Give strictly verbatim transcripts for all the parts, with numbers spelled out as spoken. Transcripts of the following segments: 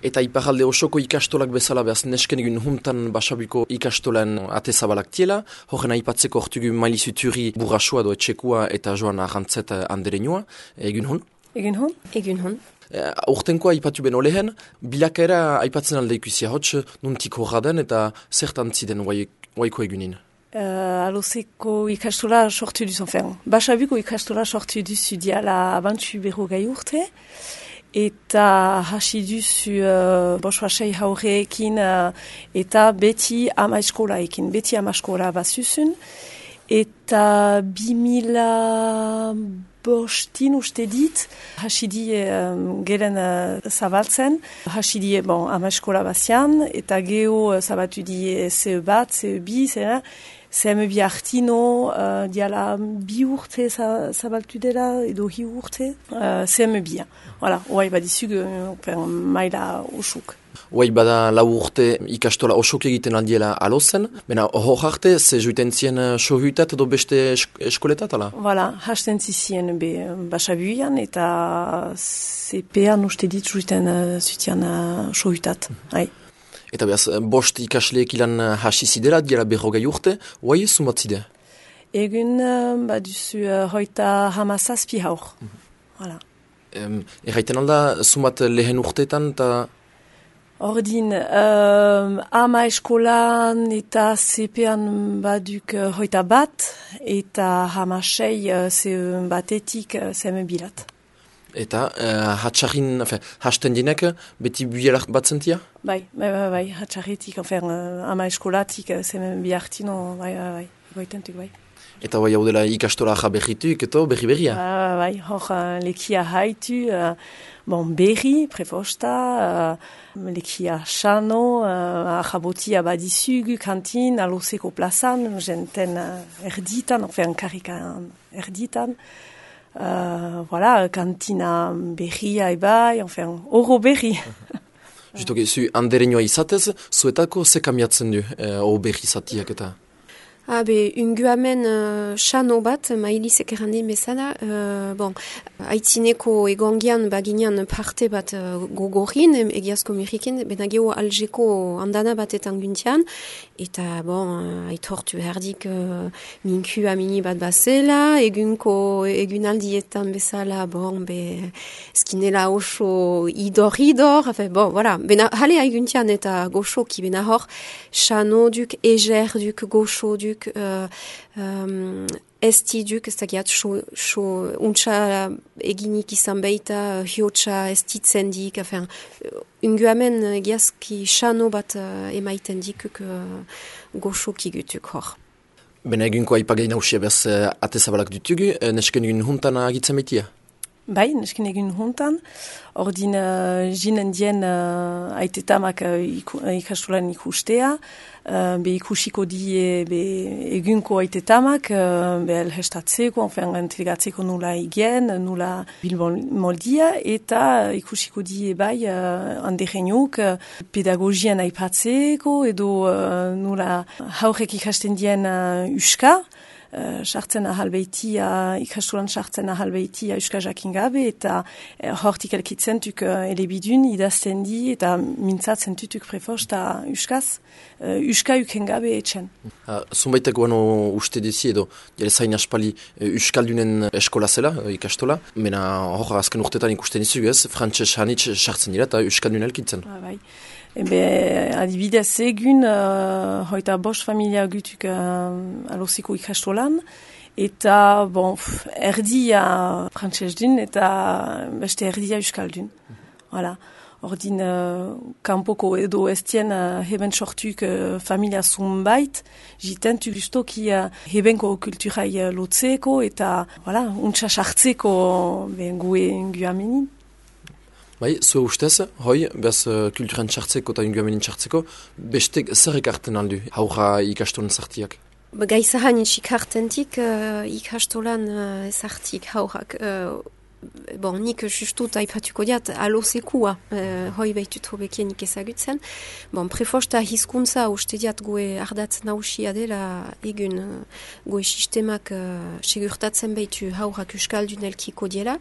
Eta iparalde osoko ikastolak bezala behaz nesken egun huntan Basabiko ikastolen ate zabalak tiela, horren aipatzeko hortugu Mailizu Turi burrasua do etxekua eta joan arrantzet anderenua, egun hun? Egun hun? Egun hun. Uh, Urtenkoa aipatu ben olehen, bilakaera aipatzen alde ikusia hotx, nuntik horra den eta zertan ziden waiko egunin? Uh, Aloseko ikastola sortu duzu, enfin, Basabiko ikastola sortu duzu diala abantu berrogei urte, eta hasi duzu uh, boswasei haureekin uh, eta beti ama eskolaekin, beti ama eskola bazuzun, eta bimila bostin uste dit, hasi die um, geren uh, zabaltzen, hasi die bon, ama eskola bazian, eta geho uh, zabatu die C E bat, C E bi, zera, C M bi hartino, uh, diala bi urte zabaltu dela, edo hi urte, uh, C M bi. Voilà, oai badizug uh, maila osuk. Oai bada lau urte ikastola osok egiten aldiela alozen, bena hor arte, ze juiten zien sohuitat edo beste esk eskoletat, ala? Voilà, hasten zizien be Basabuian eta C P-an uste dit juiten uh, zutian uh, sohuitat, hai. Eta behaz, bost ikasleek ilan hasi zidela, diela berrogei urte, oai zumat zide? Egun, uh, baduzu uh, hoita hamazazpi haur. Mm -hmm. Voilà. Um, Erraiten alda, zumat lehen urteetan eta... Ordin, uh, ama eskolan eta C P-an baduk uh, hoita bat, eta hamasei uh, batetik uh, zeme bilat. Eta uh, hatxarrin, hasten dinek, beti bielak bat zentia? Bai, bai, bai, bai, hatxarritik, enfin, uh, ama eskolatik, uh, zemen bihartino, bai, bai, bai, goitentuk, bai. Eta bai hau dela ikastola jaberrituk, eto berri berria? Bai, bai, hor uh, lekia haitu, uh, bon, berri, prefosta, uh, lekia xano, uh, ahabotia badizug, kantin, aloseko plazan, jenten uh, erditan, enfin, karikan erditan, Uh, voilà, kantina berria ebai, enfin, oro berri. Justo, zu anderenioa izatez, zuetako ze kamiatzen du, eh, oro berri zatiak eta? Ah, be, unguamen uh, xano bat, mailizek errandin bezala, uh, bon, aitzineko egongian baginean parte bat uh, gogorin, egiazko miriken, bena geho aljeko andana batetan guntian, eta, bon, uh, aitortu herdik uh, minku amini bat bazela, egunko, egunaldietan bezala, bon, be, skinela oso idor-idor, enfin, bon, voilà, bena, hale aiguntian eta goxoki, bena hor, xano duk, eger duk, goxo duk, Uh, um, esti duk, ez dakiat, so, untsa eginik izan baita, hiotsa estitzen dik, enfin, unguamen egiazki xano bat uh, emaiten dikuk uh, goxoki gutuk hor. Bena egunko aipagai nausia bez uh, atezabalak dutugu, uh, nesken egun huntan agitzen baitia? Bai, nesken egun huntan, ordin uh, jinen dien uh, aitetamak uh, iku, uh, ikastolan ikustea, uh, be ikusiko die be egunko aitetamak, uh, be elhestatzeko, enfin, entregatzeko nula igen, nula bilbon moldia, eta ikusiko die bai uh, anderenuk uh, pedagogian aipatzeko, edo uh, nula haurek ikasten dien uh, uska, sartzen uh, ahalbeitia, ikastolan sartzen ahalbeitia uska jakin gabe, eta uh, hortik elkitzen tuk uh, elebidun idazten di, eta mintzatzen tutuk prefosta uskaz, uh, uska uken gabe etxen. Uh, Zunbaitek guano uste dezi edo, jere zain aspali uh, uskaldunen eskola zela, uh, ikastola, mena hor azken urtetan ikusten izu ez, frantses hanitz sartzen dira eta uskaldun elkitzen. Ah, bai. Ebe, adibidez egun, uh, hoita bost familia gutuk uh, alosiko ikastolan, eta, bon, pff, erdia frantses dun, eta beste erdia euskaldun. Voilà. Ordin, uh, kanpoko edo estien uh, heben sortuk uh, familia zunbait, jitentu justoki uh, hebenko kulturai uh, lotzeko, eta, voilà, untsa sartzeko ben gue guamenin. Bai, zue ustez, hoi, behaz uh, kulturan txartzeko eta inguamenin txartzeko, bestek zer ekarten aldu, haura ikastolan zartiak? Gaizahan ikartentik uh, ikastolan uh, zartik haurak. Uh, bon, nik justut aipatuko diat, alosekua, uh, hoi behitut hobekien nik ezagutzen. Bon, prefosta hizkuntza uste diat goe ardatz nausia dela egun uh, goe sistemak uh, segurtatzen behitu haurak euskaldun elkiko diela.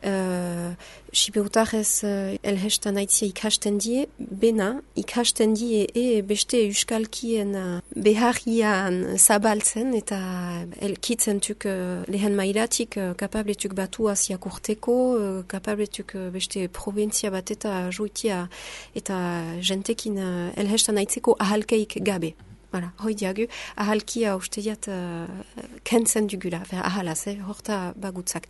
uh, Sipeutarrez uh, elhestan aitzia ikasten die, bena ikasten die e beste euskalkien uh, beharrian zabaltzen eta elkitzentuk uh, lehen mailatik uh, kapabletuk batuaz jakurteko, uh, kapabletuk uh, beste provintzia bat eta juitia eta jentekin uh, elhestan aitzeko ahalkeik gabe. Voilà, hoi diagu, ahalkia usteiat uh, kentzen dugula, fer ahalaz, eh, horta bagutzak.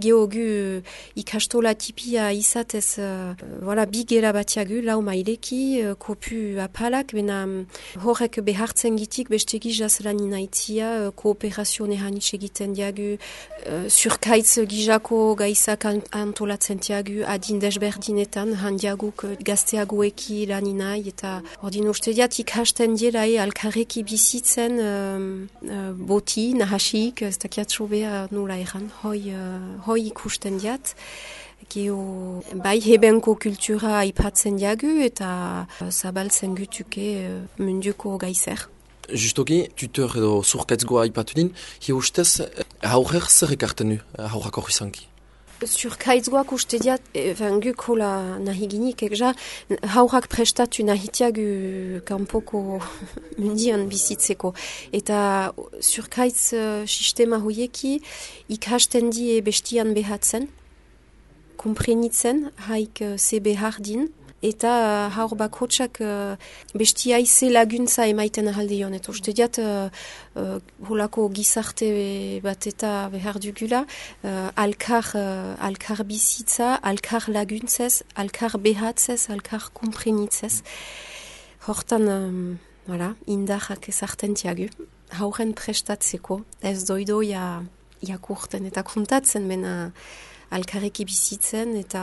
Geogu ikastola tipia izatez, uh, voilà, bigela batiagu, lau maileki, uh, kopu apalak, bena um, horrek behartzen gitik, beste gizaz lanin aitzia, uh, kooperazione hanitz egiten diagu, uh, surkaitz gizako gaizak antolatzen diagu, adin desberdinetan, handiaguk uh, gazteagueki laninai, eta ordin usteiat ikasten diela e alkarreki bizitzen um, uh, boti, nahasik, ez dakiat sobea nola eran, hoi, uh, hoi ikusten diat. Geo, bai hebenko kultura aipatzen diagu eta uh, zabaltzen gutuke uh, munduko gaizer. Justoki, tutor edo zurkaitzgoa aipatu din, hi ustez, haurrer zer ekarten du, haurrak hori izanki? Surkaitzgoak uste diat, enfin, guk hola nahi ginik, ekja, haurak prestatu nahitiagu kanpoko mundian bizitzeko. Eta surkaitz uh, sistema hoieki ikasten die bestian behatzen, komprenitzen, haik uh, ze behar din, eta uh, haur bakotsak uh, bestia ize laguntza emaiten ahaldion. Eta uste diat, uh, uh, holako gizarte bat eta behar dugula, uh, alkar, uh, alkar bizitza, alkar laguntzez, alkar behatzez, alkar komprenitzez. Hortan, um, voilà, indarrak ezarten tiagu. Hauren prestatzeko, ez doidoia jakurten eta kontatzen, bena alkarreki bizitzen eta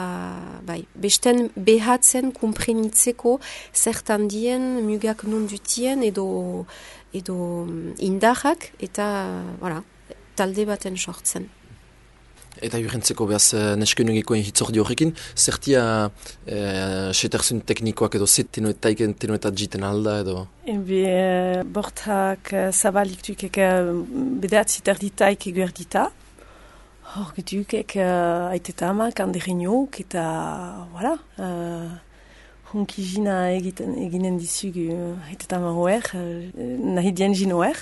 bai, besten behatzen komprenitzeko zertan dien mugak non dutien edo, edo indarrak eta voilà, talde baten sortzen. Eta jurentzeko behaz neskenugikoen hitzordi horrekin, zertia eh, seterzun teknikoak edo zet tenoetaiken tenoetat jiten alda edo? Ebe, uh, bortak uh, zabalik dukek uh, bedeatzi terditaik eguerdita. Hor getukek uh, aiteta amak andereñok eta, voilà, uh, hunki jina egiten, eginen dizugu aiteta ama hoer, uh, nahi dien jino hoer.